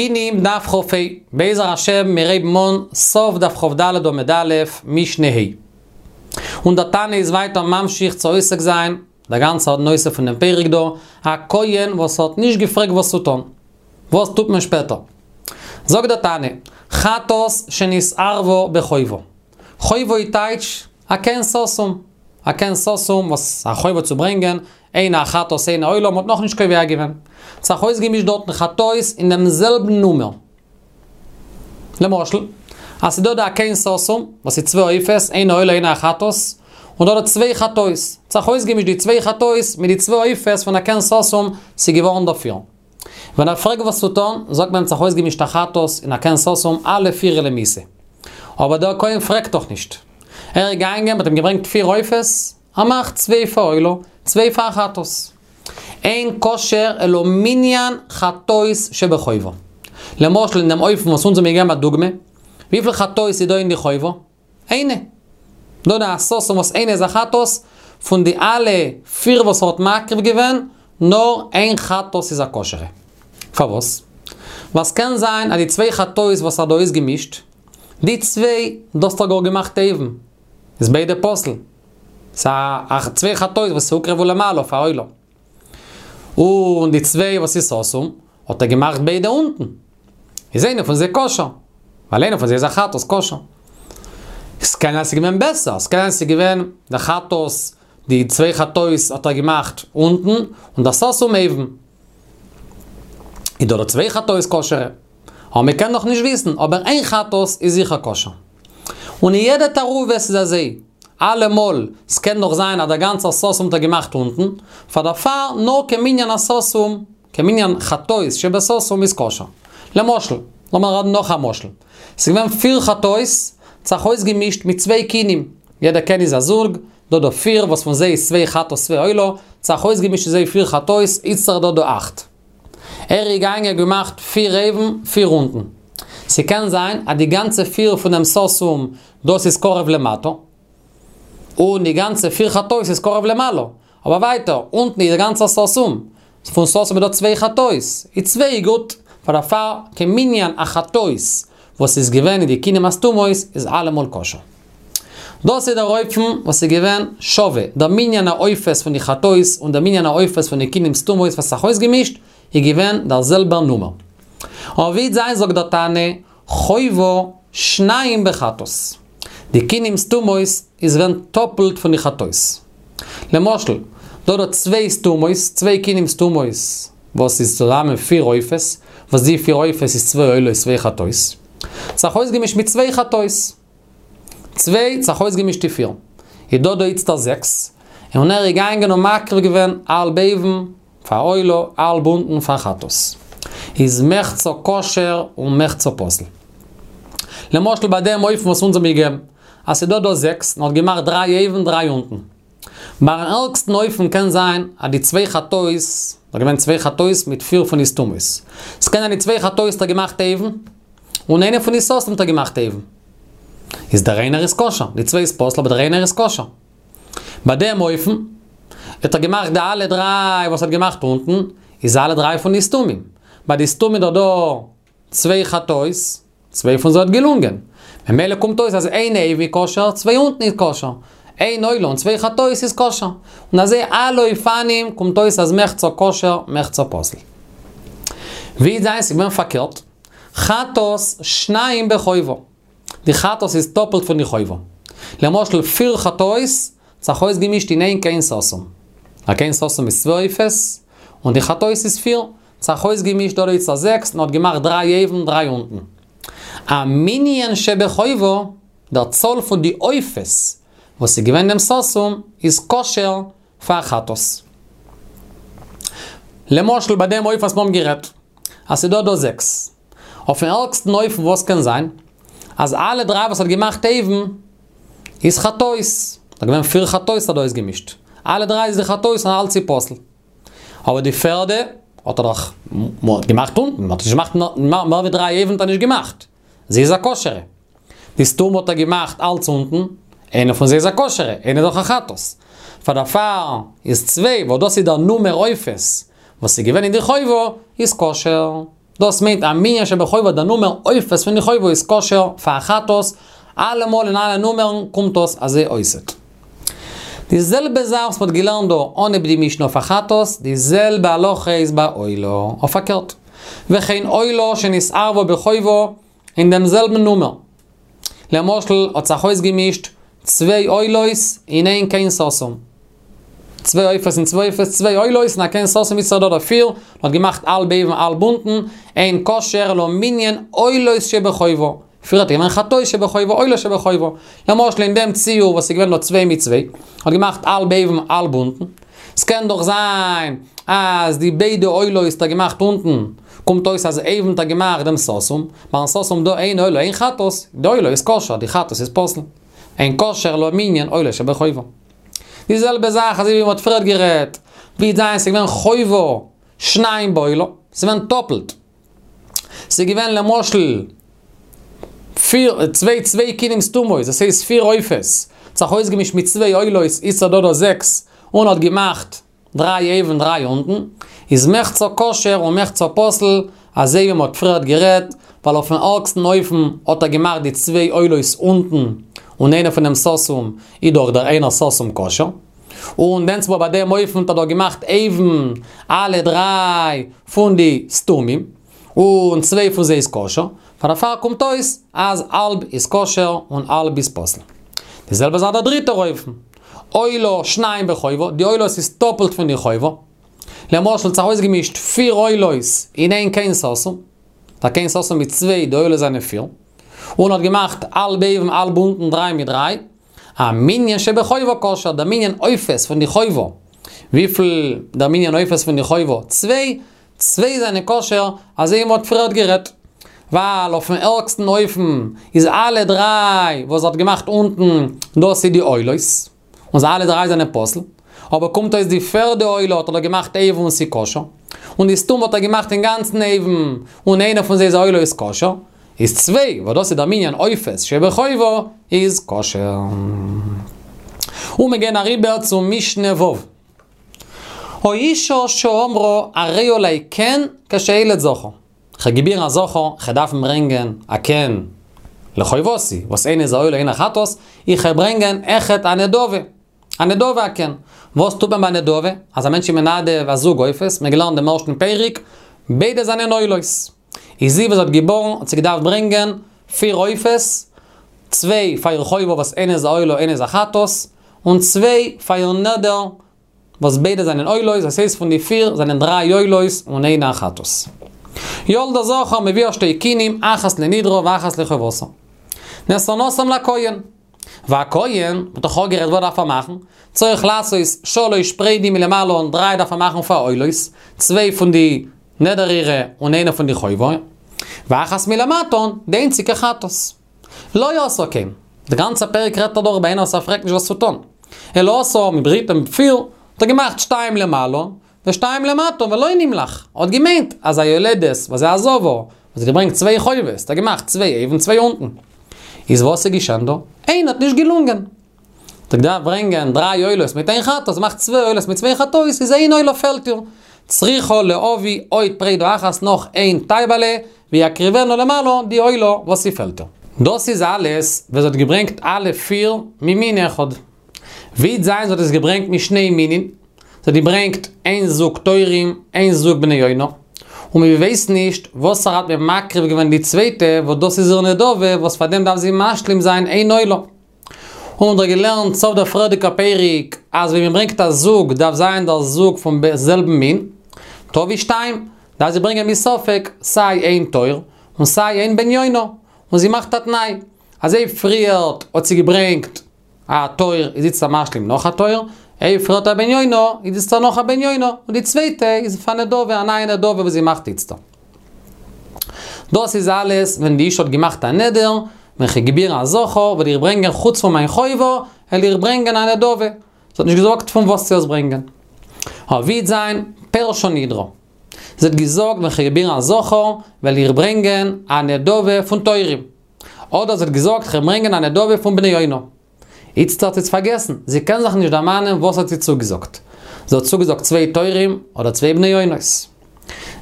קינים דף כ"ה, בעזר השם מיר הייבן אן סוף דף כ"ד עמוד א', משנה ה'. און דער תנא איז ווייטער ממשיך צו עוסק זיין דער גאנצער נושא פונעם פרק דא, א כהן וואס האט נישט געפרעגט וואס צו טון. וואס טוט מען שפעטער? זאגט דער תנא, חטאת שנתערבה בחובה. חובה איז טייטש א קן סתום. א קן סתום וואס א חובה צו ברענגען, איינע א חטאת איינע עולה, מ'האט נאכנישט קובע געווען. ס'האט זיך אויסגעמישט דארטן חטאות אין דעם זעלבן נומער. למשל, אז ס'דא דא א קן סתום, וואס איז צוויי עופות, איינע עולה איינע א חטאת, און דא דא צוויי חטאות. ס'האט זיך אויסגעמישט די צוויי חטאות מיט די צוויי עופות פון א קן סתום, ס'איז געווארן דא פיר. ווען ער פרעגט וואס צו טון, זאגט מען אים ס'האט זיך אויסגעמישט א חטאת און א קן סתום אלע פיר למיתה. אבער דער כהן פרעגט דאך נישט. ער איז געגאנגען, מ'האט אים געברענגט פיר עופות, ער מאכט צוויי פאר עולה, צוויי פאר חטאת. אין כשר אלא מנין חטאות שבחובה. למשל אין דעם אופן וואס אונז האבן געגעבן א דוגמא, וויפיל חטאות איז דא אין די חובה? איינע. דא די סתום וואס איינע איז א חטאת, פון די אלע פיר וואס ער האט מקריב געווען, נאר איין חטאת איז א כשר'ע. פארוואס? ווייל ס'קען זיין אז די צוויי חטאות וואס ער האט דא אויסגעמישט, די צוויי, דאס האט ער גאר געמאכט אויבן, איז ביידע פסול. ס'איז א צוויי חטאות וואס הוקרבו למעלה פאר עולה. און די צוויי וואס איז סתום, האט ער געמאכט ביידע אונטן. איז איינע פון זיי כשר. ווייל איינע פון זיי איז א חטאת כשר. ס'קען זיין ס'איז געווען בעסער, ס'קען זיין ס'איז געווען די חטאת, די צוויי חטאות האט ער געמאכט אונטן, און די סתום אויבן. איז דא די צוויי חטאות כשר'ע. אבער מ'קען נאך נישט וויסן, אבער איין חטאת איז זיכער כשר. און אין יעדע תערובת איז אזוי, אלעמאל, ס'קען דאך זיין אז דער גאנצער סתום האט ער געמאכט אונטן, פאר דערפאר נאר כמנין הסתום, כמנין חטאות שבסתום איז כשר. למשל, לאמיר רעדן נאך א משל. ס'איז געווען פיר חטאות, האט זיך אויסגעמישט מיט צוויי קינים. יעדע קן איז א זוג, דא דא פיר, וואס פון זיי איז צוויי חטאת צוויי עולה, האט זיך אויסגעמישט צו זיי פיר חטאות, איצטער דא דא אכט. ער איז געגאנגען געמאכט פיר אויבן, פיר אונטן. ס'קען זיין אז די גאנצע פיר פון דעם סתום דאס איז קרוב למטה, און די גאנצע פיר חטאות איז קרוב למעלה. אבער ווייטער, אונטן איז די גאנצע סתום, פון סתום איז דא צוויי חטאות, איז צוויי גוט, פאר דערפאר כמנין החטאות וואס איז געווען אין די קינים הסתומות איז אלעמאל כשר. דאס איז דער אופן וואס איז געווען שווה, דער מנין העופות פון די חטאות און דער מנין העופות פון די קינים סתומות וואס האט זיך אויסגעמישט, איז געווען דער זעלבער נומער. אבער ווי וועט זיין זאגט דער תנא, חובה שניים בחטאת. די קינים סתומות איז געווען טאפלט פון די חטאות. למשל, דא דא צוויי סתומות, צוויי קינים סתומות, וואס איז צוזאמען פיר עופות, וואס די פיר עופות איז צוויי עולות צוויי חטאות. זיך אויסגעמישט מיט צוויי חטאות. צוויי, זיך אויסגעמישט די פיר. איז דא דא איצטער זעקס. און ער איז געגאנגען און מקריב געווען האלב אויבן פאר עולה, האלב אונטן פאר חטאת. איז מחצה כשר און מחצה פסול. למשל ביי דעם אופן וואס אונז האבן געגעבן, אז ס'איז דא דא זעקס, און האט געמאכט דריי אויבן דריי אונטן. ביים ערגסטן אופן קען זיין אז די צוויי חטאות, דא געווען צוויי חטאות מיט פיר פון די סתומות. ס'קען זיין די צוויי חטאות האט ער געמאכט אויבן, און איינע פון די סתום האט ער געמאכט אויבן. איז דער איינער איז כשר, די צוויי איז פסול אבער דער איינער איז כשר. ביי דעם אופן, האט ער געמאכט די אלע דריי וואס ער האט געמאכט אונטן, איז אלע דריי פון די סתומים. ביי די סתומים איז דא צוויי חטאות, צוויי פון זיי האט געלונגען. ממילא קומט אויס אז איין אויבן איז כשר, צוויי אונטן איז כשר. איין עולה און צוויי חטאות איז כשר. און אזוי אלע אופנים קומט אויס אז מחצה כשר, מחצה פסול. ווי וועט זיין ס'איז געווען פארקערט, חטאת שניים בחובה. די חטאת איז טאפלט פון די חובה. למשל פיר חטאות האט זיך אויסגעמישט אין איין קן סתום. א קן סתום איז צוויי עופות, און די חטאות איז פיר. האט זיך אויסגעמישט דא איצטער זעקס און האט געמאכט דריי אויבן דריי אונטן. א מנין שבחובה, דער צאל פון די עופות וואס איז געווען דעם סתום איז כשר פאר חטאת. למשל ביי דעם אופן וואס מיר האבן גערעדט אז ס'איז דא דא זעקס. אויפן ערגסטן אופן וואס קען זיין, אז אלע דריי וואס האט געמאכט אויבן איז חטאות. ס'איז געווען פיר חטאות האט דא אויסגעמישט. אלע דריי איז די חטאות און אלץ איז פסול. אבער די פערדע האט ער דאך געמאכט אונטן, האט נישט געמאכט מער ווי דריי אויבן האט ער נישט געמאכט. זי איז א כשר'ע. די סתום האט ער געמאכט אלץ אונטן, איינע פון זיי איז א כשר'ע, איינע איז דאך א חטאת. פאר דערפאר איז צוויי, וואס דאס איז דער נומער עופות וואס איז געווען אין די חובה, איז כשר. דאס מיינט א מנין שבחובה דער נומער עופות פון די חובה איז כשר פאר א חטאת, אלעמאל אין אלע נומערן קומט דאס אזוי אויסעט. די זעלבע זאך וואס מ'האט געלערנט דא אנהייב די משנה אויף א חטאת, די זעלבע הלכה איז ביי עולה, אויף פארקערט. וכן עולה שנתערבה בחובה אין דעם זעלבן נומער. למשל האט זיך אויסגעמישט צוויי עולות אין איין קן סתום. צוויי עופות און צוויי עופות, צוויי עולות אין א קן סתום איז דא דא פיר, מען האט געמאכט האלב אויבן האלב אונטן, אין כשר אלא מנין עולות שבחובה. פריער האט געווען חטאות שבחובה עולות שבחובה. למשל אין דעם ציור וואס איז געווען דא צוויי מיט צוויי, האט געמאכט האלב אויבן האלב אונטן. ס'קען דאך זיין אז די ביידע עולות האט ער געמאכט אונטן, קומט אויס אז אויבן האט ער געמאכט דעם סתום, ביים סתום דא איין עולה איין חטאת, די עולה איז כשר, די חטאת איז פסול. אין כשר אלא מנין עולות שבחובה. די זעלבע זאך אזוי ווי מ'האט פריערט גערעדט, ווי זיין ס'איז געווען חובה שניים בעולה, ס'איז געווען טאפלט. ס'איז געווען למשל פיר, צוויי צוויי כינים סתומות, דאס הייסט פיר עופות, האט זיך אויסגעמישט מיט צוויי עולות, איז דא דא זעקס, און האט געמאכט דריי אויבן דריי אונטן, איז מחצה כשר און מחצה פסול, אזוי ווי מ'האט פריערט גערעדט, ווייל אויפן ארגסטן אופן האט ער געמאכט די צוויי עולות אונטן, און איינער פון דעם סתום איז דאך דער איינער סתום כשר. און דענסמאל ביי דעם אופן האט ער דאך געמאכט אויבן אלע דריי פון די סתומים, און צוויי פון זיי איז כשר, פאר דערפאר קומט אויס אז האלב איז כשר און האלב איז פסול. די זעלבע זאך דער דריטער אופן, עולה שניים בחובה, די עולות איז טאפלט פון די חובה, למשל האט זיך אויסגעמישט פיר עולות אין איין קן סתום, דער קן סתום מיט צוויי, די עולות זענען פיר, און האט געמאכט האלב אויבן האלב אונטן דריי מיט דריי, א מנין שבחובה כשר, דער מנין עופות פון די חובה, וויפיל דער מנין עופות פון די חובה? צוויי, צוויי זענען כשר, אזוי ווי מ'האט פריערט גערעדט. ווייל אויפן ערגסטן אופן איז אלע דריי וואס האט געמאכט אונטן דאס איז די עולות, און זיי אלע דריי זענען פסול. אבער קומט אויס די פערדע עולה האט ער דאך געמאכט אויבן און ס'איז כשר. און די סתום האט ער געמאכט אינגאנצן אויבן, און איינער פון זיי איז א עולה איז כשר. איז צוויי, וואס דאס איז דער מנין עופות שבחובה, איז כשר. און מיר גייען אריבער צום משנה ו'. האשה שאמרה הרי עלי קן כשאלד זכר. כ'האב געבירן א זכר, כ'גיי דארפן ברענגען א קן לחובתי, וואס איינע איז א עולה איינע חטאת, איך גיי ברענגען אויכעט א נדבה. א נדבה א קן. וואס טוט מען ביי נדבה? אז א מענטש איז מנדב א זוג עופות, מיר געלערנט דעם ערשטן פרק, ביידע זענען עולות. איז זי וואס האט געבארן האט זי געדארפט ברענגען פיר עופות, צוויי פאר איר חובה וואס איינע איז א עולה איינע איז א חטאת, און צוויי פאר איר נדר וואס ביידע זענען עולות, דאס הייסט פון די פיר זענען דריי עולות און איינע א חטאת. ילדה זכר מביאה שתי קינים אחת לנדרה ואחת לחובתה. נתנתן לכהן. והכהן, מ'האט דאך אפגערעדט וואס דארף ער מאכן, צריך לעשות שלש פרדים מלמעלה און דריי דארף ער מאכן פאר עולות, צוויי פון די נדר אירע און איינע פון די חובה, ואחת מלמטה, די איינציגע חטאת. לא עשה כן. די גאנצע פרק רעדט ער דאך ביי איינער וואס ער פרעגט נישט וואס צו טון. אלא עשה מ'ברענגט אים פיר, האט ער געמאכט שתיים למעלה, ושתיים למטה ולא נמלך. ער האט געמיינט אז א יולדת וואס איז א זבה, וואס האט געברענגט צוויי חובות, האט ער געמאכט צוויי אויבן צוויי אונטן. איז וואס איז געשען דא? איינע האט נישט געלונגען. האט ער געדארפט ברענגען דריי עולות מיט איין חטאת, מאכט צוויי עולות מיט צוויי חטאות, איז איין עולה פעלט איר. צריכה להביא עוד פרידה אחת נאך איין טייבעלע, ויקריבנה למעלה די עולה וואס ס'פעלט איר. דאס איז אלעס ווען זי האט געברענגט אלע פיר ממין אחד. ווי זיין זי האט עס געברענגט משני מינין, זי האט געברענגט איין זוג תורים, איין זוג בני יונה, און מען ווייסט נישט וואס ער האט מקריב געווען די צווייטע וואס דאס איז איר נדבה וואס פאר דעם דארף זי משלים זיין איין עולה. און מ'האט דאך געלערנט סוף דער פריערדיגע פרק אז ווען מען ברענגט א זוג דארף זיין דער זוג פון זעלבן מין, תביא שתיים, דארף זי ברענגען מספק סיי איין תור און סיי איין בן יונה, און זי מאכט א תנאי אז אויב פריערט האט זי געברענגט א תור איז איצטער משלים נאך א תור, אויב פריערט א בן יונה איז איצטער נאך א בן יונה, און די צווייטע איז פאר נדבה, א נייע נדבה וואס זי מאכט איצטער. דאס איז אלעס ווען די אישה האט געמאכט א נדר, ווען כ'גיי געבירן א זכר וועל איך ברענגען חוץ פון מיין חובה, וועל איך ברענגען א נדבה. זי האט נישט געזאגט פון וואס צו עס ברענגען. אבער ווי וועט זיין פירשה נדרה. זי האט געזאגט ווען כ'גיי געבירן א זכר וועל איך ברענגען א נדבה פון תורים. אדער זי האט געזאגט כ'וועל ברענגען א נדבה פון בני יונה. איצט האט זי עס פארגעסן, זי קען זיך נישט דערמאנען וואס האט זי צוגעזאגט. זי האט צוגעזאגט צוויי תורים אדער צוויי בני יונות.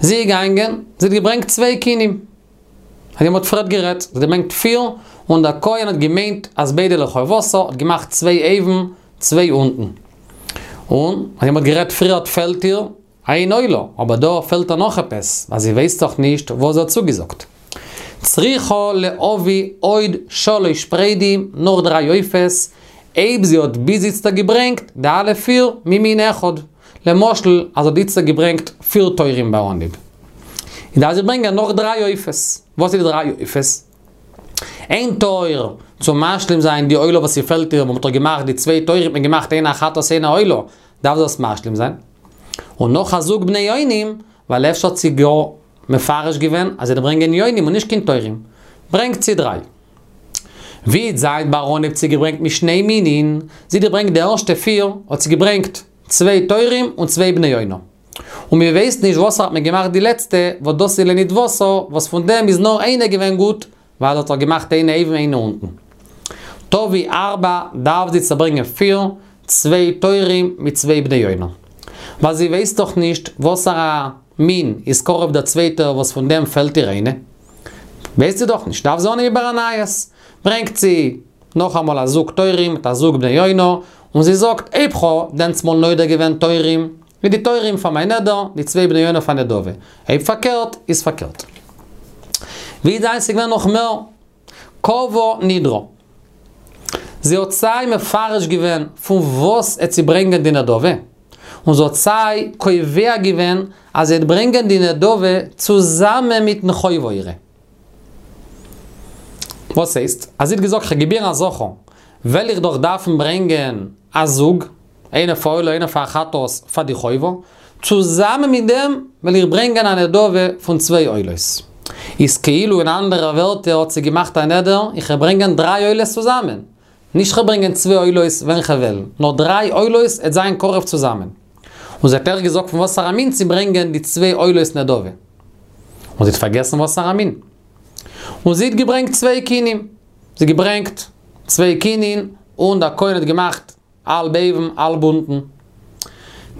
זי איז געגאנגען, זי האט געברענגט צוויי כינים. אזוי מ'האט פריערט גערעדט, זי האט געברענגט פיר, און דער כהן האט געמיינט אז ביידע לחובתה, האט געמאכט צוויי אויבן, צוויי אונטן. און, אזוי מ'האט גערעדט פריערט פעלט איר איין עולה, אבער דא פעלט איר נאך עפעס, ווייל זי ווייסט דאך נישט וואס זי האט צוגעזאגט. צריכה להביא עוד שלש פרדים, נאך דריי עופות, אויב זי האט ביז איצטער געברענגט די אלע פיר ממין אחד. למשל, אז זי האט איצטער געברענגט פיר תורים ביי אנהייב. איז דארף זי ברענגען נאך דריי עופות. וואס איז די דריי עופות? איין תור צו משלים זיין די עולה וואס ס'פעלט איר, וואס מ'האט דאך געמאכט די צוויי תורים האט מען געמאכט איינע א חטאת איינע א עולה, דארף זי עס משלים זיין. און נאך א זוג בני יונים, ווייל אפשר האט זי גאר מפרש געווען אז זי וועט ברענגען יונים און נישט קיין תורים. ברענגט זי דריי. ווי וועט זיין ביי אנהייב האט זי געברענגט משני מינין, זי האט געברענגט די ערשטע פיר, האט זי געברענגט צוויי תורים און צוויי בני יונה. און מען ווייסט נישט וואס האט מען געמאכט די לעצטע, וואס דאס איז לנדבתה, וואס פון דעם איז נאר איינע געווען גוט, ווייל האט ער געמאכט איינע אויבן איינע אונטן. תביא ארבע דארף זי צוברענגען פיר, צוויי תורים מיט צוויי בני יונה. ווייל זי ווייסט דאך נישט וואסארא מין איז קרוב דער צווייטער וואס פון דעם פעלט איר איינע. ווייסט זי דאך נישט, דארף זי אנהייבן איבער א נייעס. ברענגט זי נאכאמאל א זוג תורים מיט א זוג בני יונה, און זי זאגט, אויב כ'האב דענסמאל נודר געווען תורים, איז די תורים פאר מיין נדר, די צוויי בני יונה פאר נדבה. אויב פארקערט, איז פארקערט. ווי זיין ס'איז געווען נאך מער קבעה נדרה. זי האט סיי מפרש געווען פון וואס עט זי ברענגען די נדבה, און זי האט סיי קובע געווען אז זי עט ברענגען די נדבה צוזאמען מיטן חובה אירע. וואס הייסט? אז זי האט געזאגט כ'גיב איר א זכר, וועל איך דאך דארפן ברענגען א זוג, איינע פאר עולה איינע פאר חטאת פאר די חובה, צוזאמען מיט דעם וועל איך ברענגען א נדבה פון צוויי עולות. איז כאילו אין אנדערע ווערטער האט זי געמאכט א נדר, איך וועל ברענגען דריי עולות צוזאמען. נישט כ'וועל ברענגען צוויי עולות ווען כ'וועל, נאר דריי עולות עט זיין קרוב צוזאמען. און זי האט אויך געזאגט פון וואסארא מין צו ברענגען די צוויי עולות נדבה. און זי האט פארגעסן וואסארא מין. און זי האט געברענגט צוויי כינים. זי האט געברענגט צוויי כינים און דער כהן האט געמאכט האלב אויבן האלב אונטן.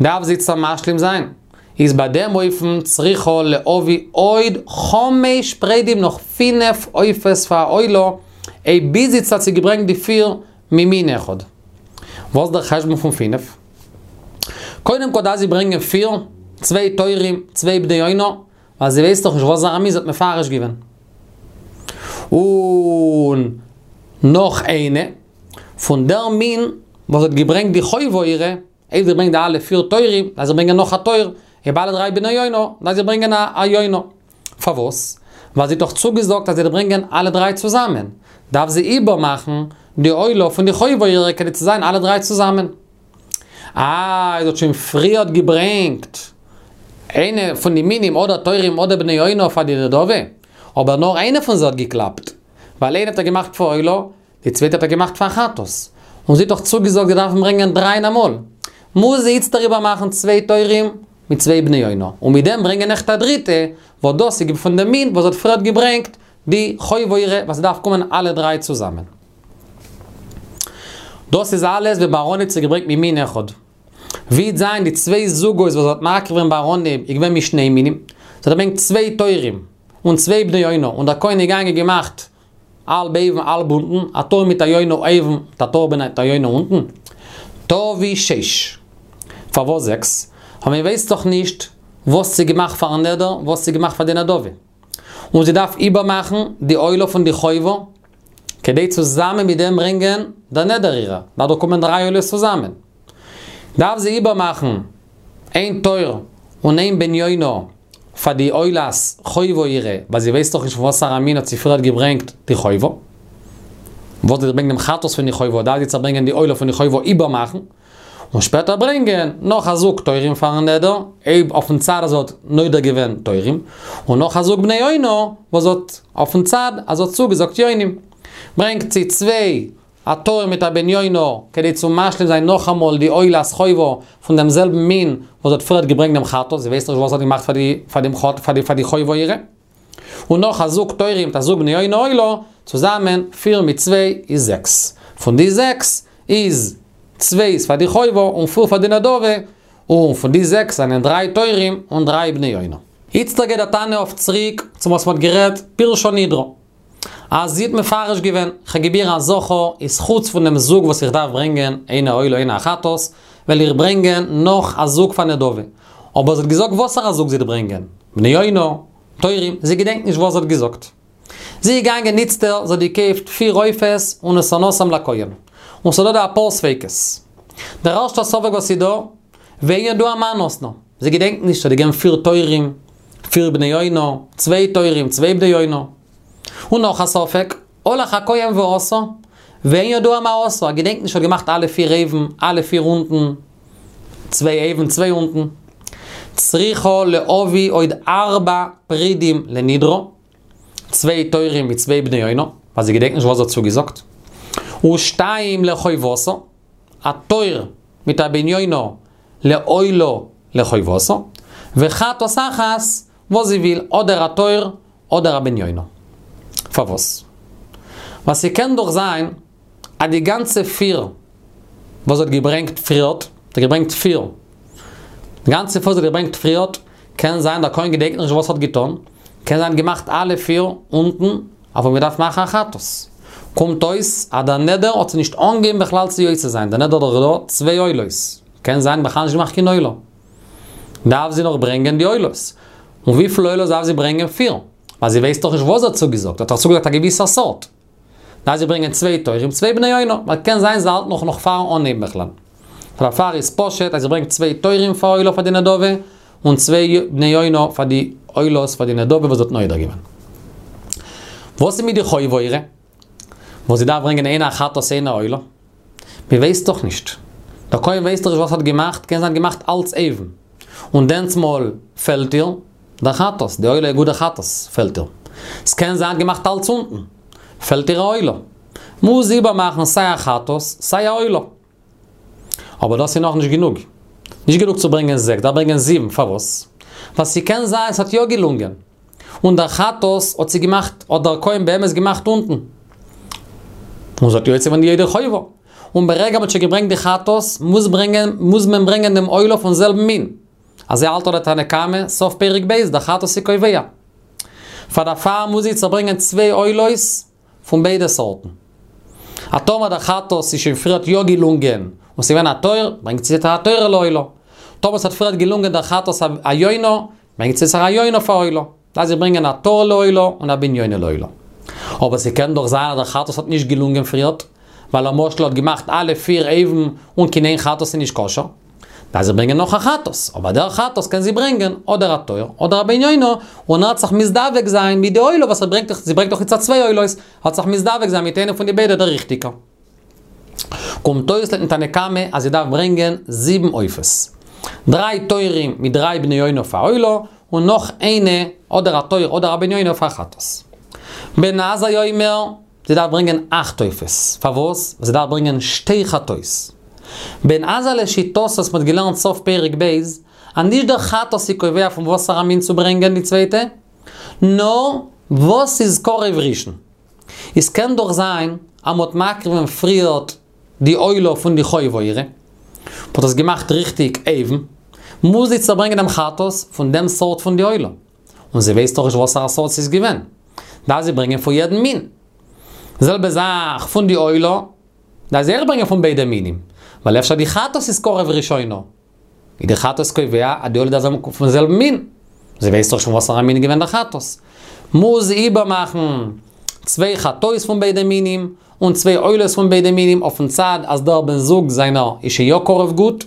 דארף זי איצטער משלים זיין. איז ביי דעם אופן צריכה להביא עוד חמש פרדים נאך פינף עופות פאר א עולה, אויב ביז איצט האט זי געברענגט די פיר ממין אחד. וואס דער חשבון פון פינף? קודם כל דארף זי ברענגען פיר, צוויי תורים, צוויי בני יונה, ווייל זי ווייסט דאך נישט וואסארא מין זי האט מפרש געווען. און נאך איינע, פון דער מין וואס האט געברענגט די חובה אירע, אויב זי ברענגט די אלע פיר תורים, דארף זי ברענגען נאך א תור, אויב אלע דריי בני יונה, דארף זי ברענגען א יונה. פארוואס? ווייל זי האט דאך צוגעזאגט אז זי וועט ברענגען אלע דריי צוזאמען. דארף זי איבערמאכן די עולה פון די חובה אירע כדי צו זיין אלע דריי צוזאמען. אה, זי האט שוין פריערט געברענגט איינע פון די מינים אדער תורים אדער בני יונה פאר די נדבה, אבער נאר איינע פון זיי האט געקלאפט, ווייל איינע האט ער געמאכט פאר עולה, די צווייטע האט ער געמאכט פאר חטאת. און זי האט דאך צוגעזאגט זי דארף ברענגען דריי אין אמאל. מוז זי איצטער איבערמאכן צוויי תורים מיט צוויי בני יונה. און מיט דעם ברענגען נאך א דריטע, וואס דאס איז פון דעם מין וואס האט פריערט געברענגט די חובה אירע וואס ס'דארף קומען אלע דריי צוזאמען. דאס איז אלעס ווען ביי אנהייב האט זי געברענגט ממין אחד. ווי וועט זיין די צוויי זוגות וואס האט מקריב געווען ביי אנהייב איז געווען משני מינים. זי האט געברענגט צוויי תורים און צוויי בני יונה און דער כהן איז געגאנגען געמאכט האלב אויבן האלב אונטן, א תור מיט א יונה אויבן, מיט א תור מיט א יונה אונטן. תביא שש. פארוואס זעקס? ווייל מען ווייסט דאך נישט וואס זי געמאכט פארן נדר, וואס זי געמאכט פאר די נדבה. און זי דארף איבערמאכן די עולה פון די חובה, כדי צוזאמען מיט דעם ברענגען דער נדר אירע. דארף דאך קומען דריי עולות צוזאמען. דארף זי איבערמאכן איין תור און איין בן יונה פאר די עולת חובה אירע, ווייל זי ווייסט דאך נישט פון וואסארא מין האט זי פריערט געברענגט די חובה. וואס זי ברענגט דעם חטאת פון די חובה, דארף זי צו ברענגען די עולה פון די חובה איבערמאכן, און שפעטער ברענגען נאך א זוג תורים פארן נדר, אויב אויפן צד אז זי האט נודר געווען תורים, און נאך א זוג בני יונה וואס האט אויפן צד אז זי האט צוגעזאגט יונים. ברענגט זי צוויי א תור מיט א בן יונה, כדי צו משלים זיין נאכאמאל די עולת חובה פון דעם זעלבן מין וואס האט פריערט געברענגט דעם חטאת, זי ווייסט נישט וואס האט געמאכט פאר די פאר דעם חטאת פאר די פאר די חובה אירע. און נאך א זוג תורים מיט א זוג בני יונה עולה, צוזאמען פיר מיט צוויי איז זעקס. פון די זעקס איז צוויי איז פאר די חובה און פיר פאר די נדבה, און פון די זעקס זענען דריי תורים און דריי בני יונה. איצטער גייט דער תנא אויף צוריק צו וואס מ'האט גערעדט פירשה נדרה. אז זי האט מפרש געווען, כ'האב געבירן א זכר איז חוץ פון דעם זוג וואס איך דארף ברענגען, איינע עולה איינע א חטאת, וועל איך ברענגען נאך א זוג פאר נדבה. אבער זי האט געזאגט וואסערע זוג זי וועט ברענגען, בני יונה, תורים, זי געדענקט נישט וואס זי האט געזאגט. זי איז געגאנגען איצטער, זי האט געקויפט פיר עופות ונתנתם לכהן. און ס'דא דא אפאר ספיקות. דער ערשטער ספק וואס איז דא, ואין ידוע מה נתנה. זי געדענקט נישט, זי האט געגעבן פיר תורים, פיר בני יונה, צוויי תורים, צוויי בני יונה. און נאך א ספק, הלך הכהן ועשה, ואין ידוע מה עשה, ער געדענקט נישט ער האט געמאכט אלע פיר אויבן, אלע פיר אונטן, צוויי אויבן צוויי אונטן. צריכה להביא עוד ארבע פרידים לנדרה, צוויי תורים מיט צוויי בני יונה, ווייל זי געדענקט נישט וואס זי האט צוגעזאגט. ושתיים לחובתה, א תור מיט א בן יונה לעולה לחובתה, וחטאת אחת וואס זי וויל, אדער א תור אדער א בן יונה. פארוואס? ווייל ס'קען דאך זיין אז די גאנצע פיר וואס זי האט געברענגט פריערט, זי האט געברענגט פיר, די גאנצע פיר וואס זי האט געברענגט פריערט, קען זיין דער כהן געדענקט נישט וואס ער האט געטון, קען זיין געמאכט אלע פיר אונטן, אבער מ'דארף מאכן א חטאת. קומט אויס אז דער נדר האט זי נישט אנגעהויבן בכלל צו יוצא זיין, דער נדר איז דאך דא צוויי עולות, קען זיין בכלל נישט געמאכט קיין עולה. דארף זי נאך ברענגען די עולות. און וויפיל עולות דארף זי ברענגען? פיר. ווייל זי ווייסט דאך נישט וואס זי האט צוגעזאגט, זי האט דאך צוגעזאגט א געוויסע סארט. דארף זי ברענגען צוויי תורים, צוויי בני יונה, ווייל קען זיין זי האלט נאך נאך פארן אנהייבן בכלל. דערפאר איז פשוט אז זי ברענגט צוויי תורים פאר עולה פאר די נדבה, און צוויי בני יונה פאר די עולות פאר די נדבה וואס זי האט נודר געווען. וואס איז מיט די חובה אירע? וואס זי דארף ברענגען איינע א חטאת איינע עולה? מען ווייסט דאך נישט. דער כהן ווייסט דאך נישט וואס ער האט געמאכט, קען זיין געמאכט אלץ אויבן. און דענסמאל פעלט איר דער חטאת, די עולה גוט דער חטאת פעלט איר. ס'קען זיין געמאכט אלץ אונטן, פעלט איר א עולה. מוז זי איבערמאכן סיי א חטאת סיי א עולה. אבער דאס איז נאכנישט גענוג. נישט גענוג צו ברענגען זעקס, דארף ברענגען זיבן, פארוואס? ווייל ס'קען זיין ס'האט יא געלונגען. און דער חטאת האט זי געמאכט, האט דער כהן באמת געמאכט אונטן. און זי האט יוצא געווען ידי חובה. און ברגע מ'האט שוין געברענגט די חטאת, מוז ברענגען, מוז מען ברענגען דעם עולה פון זעלבן מין. אזוי האלט דער תנא קמא, סוף פרק ב', דער חטאת איז קובע. פאר דערפאר מוז זי צוברענגען צוויי עולות פון ביידע סארטן. א טאמער דער חטאת איז שוין פריערט יא געלונגען, און ס'איז געווען א תור, ברענגט זי א תור לעולה. טאמער ס'האט פריערט געלונגען דער חטאת א יונה, ברענגט זי זיך א יונה פאר עולה. דארף זי ברענגען א תור לעולה און א בן יונה לעולה. אבער ס'קען דאך זיין אז דער חטאת האט נישט געלונגען פריערט, ווייל למשל האט געמאכט אלע פיר אויבן און קיין איין חטאת איז נישט כשר. דארף זי ברענגען נאך א חטאת, אבער דער חטאת קען זי ברענגען אדער א תור אדער א בן יונה, און ער וועט זיך מזדווג זיין מיט די עולה וואס ער ברענגט, זי ברענגט דאך איצט צוויי עולות, ער וועט זיך מזדווג זיין מיט איינע פון די ביידע דער ריכטיגער. קומט אויס לויטן תנא קמא אז זי דארף ברענגען זיבן עופות. דריי תורים מיט דריי בני יונה פאר עולה, און נאך איינע אדער א תור אדער א בן יונה פאר חטאת. בן עזאי אומר, זי דארף ברענגען אכט עופות. פארוואס? ווייל זי דארף ברענגען שתי חטאות. בן עזאי לשיטתו וואס מ'האט געלערנט סוף פרק ב', אז נישט דער חטאת איז קובע פון וואסערע מין צו ברענגען די צווייטע, נאר וואס איז קרב ראשון. עס קען דאך זיין אז מ'האט מקריב געווען פריערט די עולה פון די חובה אירע, מ'האט עס געמאכט ריכטיג אויבן, מוז זי צוברענגען דעם חטאת פון דעם סארט פון די עולה. און זי ווייסט דאך נישט וואסערע סארט ס'איז געווען. דארף זי ברענגען פון יעדן מין. די זעלבע זאך פון די עולה, דארף זי אויך ברענגען פון ביידע מינים. ווייל אפשר די חטאת איז קרב ראשונה. איז די חטאת קובע אז די עולה דארף זיין פון זעלבן מין. זי ווייסט דאך שוין וואסערע מין איז געווען דער חטאת. מוז זי איבערמאכן צוויי חטאות פון ביידע מינים, און צוויי עולות פון ביידע מינים אויפן צד אז דער בן זוג זיינער איז שוין יא קרב גוט.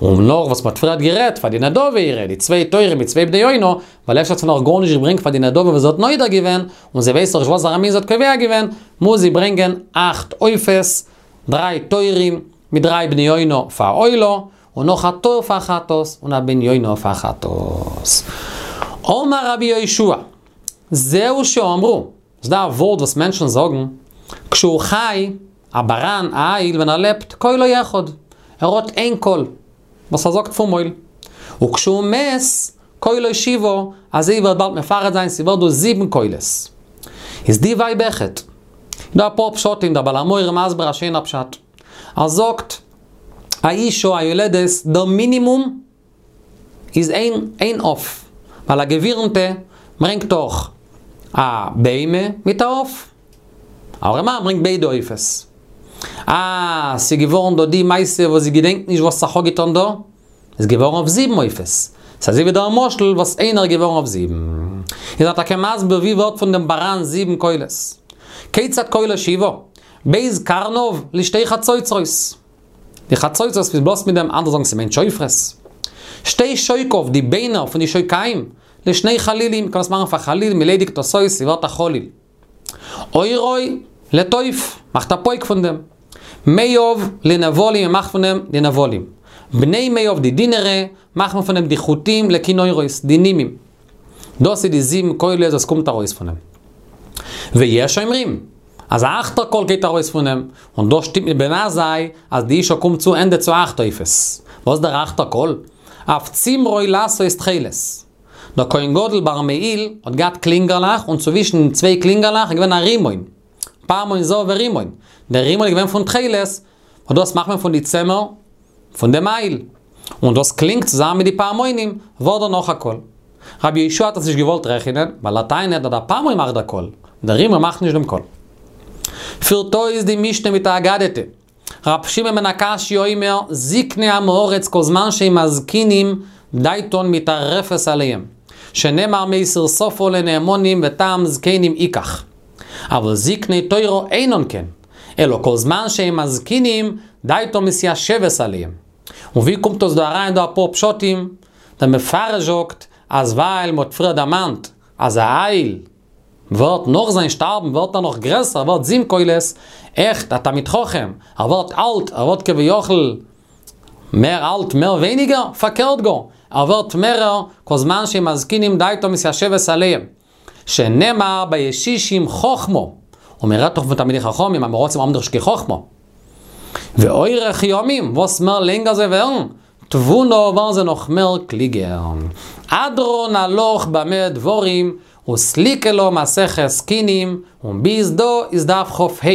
און נאך וואס מ'האט פריערט גערעדט פאר די נדבה אירע, די צוויי תורים מיט צוויי בני יונה, ווייל אפשר האט זי נאך גארנישט געברענגט פאר די נדבה וואס זי האט נודר געווען, און זי ווייסט דאך נישט וואסערע מין זי האט קובע געווען, מוז זי ברענגען אכט עופות, דריי תורים מיט דריי בני יונה פאר עולה, און נאך א תור פאר חטאת, און א בן יונה פאר חטאת. אמר רבי יהושע, זהו שאמרו, ס'איז דא א ווארט וואס מענטשן זאגן, כשהוא חי, א באראן, א איל, ווען ער לעבט, קולו אחד, ער האט איין קול, וואס ער זאגט פון מויל. וכשהוא מת, קולו שבעה, אזוי ווערט באלד מפרט זיין, ס'ווערט דא זיבן קולות. איז די ווייב אויכעט. דא אפאר פשטים, דער בעל המאור מסביר א שיינער פשט. ער זאגט, א אישה א יולדת, דער מינימום, איז איין איין עוף. ווייל א גבירנטע ברענגט דאך א בהמה מיט א עוף. א ארעמאן ברענגט ביידע עופות. אה, ס'איז געווארן דא די מעשה וואס זי געדענקט נישט וואס זיך אפגעטון דא, איז געווארן אויף זיבן עופות. ס'איז אזוי ווי דער משל וואס איינער איז געווארן אויף זיבן. איז ער טאקע מסביר ווי ווערט פון דעם באראן זיבן קולות. כיצד קולו שבעה? ב' קרניו לשתי חצוצרות. די חצוצרות וואס מ'בלאזט מיט דעם, אנדערע זאגן ס'מיינט שופרות. שתי שוקיו, די ביינער פון די שוקיים, לשני חלילים, מ'קען עס מאכן פאר חליל, מ'ליידיגט עס אויס, ס'ווערט א חליל. עורו לתוף, מאכט א פויק פון דעם. מעיו לנבלים, מ'מאכט פון דעם די נבלים. בני מעיו די דינערע, מאכט מען פון דעם די חוטים לכינורות, די נימים. דאס איז די זיבן קולות וואס קומט ארויס פון דעם. ויש אומרים, אז א אכטער קול גייט ארויס פון דעם, און דאס שטימט מיט בן עזאי, אז די אשה קומט צו ענדע צו אכט עופות. וואס איז דער אכטער קול? אף צמרו לעשות תכלת. דער כהן גדול ביים מעיל האט געהאט קלינגערלעך און צווישן צוויי קלינגערלעך איז געווען א רימון, פעמון זהב ורימון, דער רימון איז געווען פון תכלת, און דאס מאכט מען פון די צמר פון די מעיל, און דאס קלינגט צוזאמען מיט די פעמונים, ווערט דערנאך א קול. רבי יהושע האט עס נישט געוואלט רעכענען, ווייל ער טענה'ט אז דער פעמון מאכט דער קול, דער רימון מאכט נישט דעם קול. פירט אויס די משנה מיט א אגדתא. ר' שמעון בן עקשיא אומר, זקני עם הארץ כל זמן שהם מזקינים דעתן מטרפת עליהם, שנאמר מסיר שפה לנאמנים וטעם זקנים יקח. אבל זקני תורה אינן כן, אלא כל זמן שהם מזקינים דעתן מתיישבת עליהם. און ווי קומט דאס דא אריין דא אפאר פשטים? דער מפרש זאגט אז ווייל מ'האט פריער דערמאנט אז א איל ווערט נאך זיין שטארבן ווערט ער נאך גרעסער, ער ווערט זיבן קולות, עכט א תלמיד חכם, ער ווערט אלט, ער ווערט כביכול מער אלט מער ווייניגער, פארקערט גאר, ער ווערט מערער, כל זמן שהם מזקינים דעתו מתיישבת עליהם, שנאמר בישישים חכמה, און מען רעדט דאך פון תלמידי חכמים, עם הארצים האבן דאך נישט קיין חכמה. ואורך ימים, וואס מער לענגער זיי ווערן, תבונה ווערן זיי נאך מער קלוגער. הדרן עלך במה דברים, וסליקא לה מסכת קינים, און ביז דא איז דף כ"ה.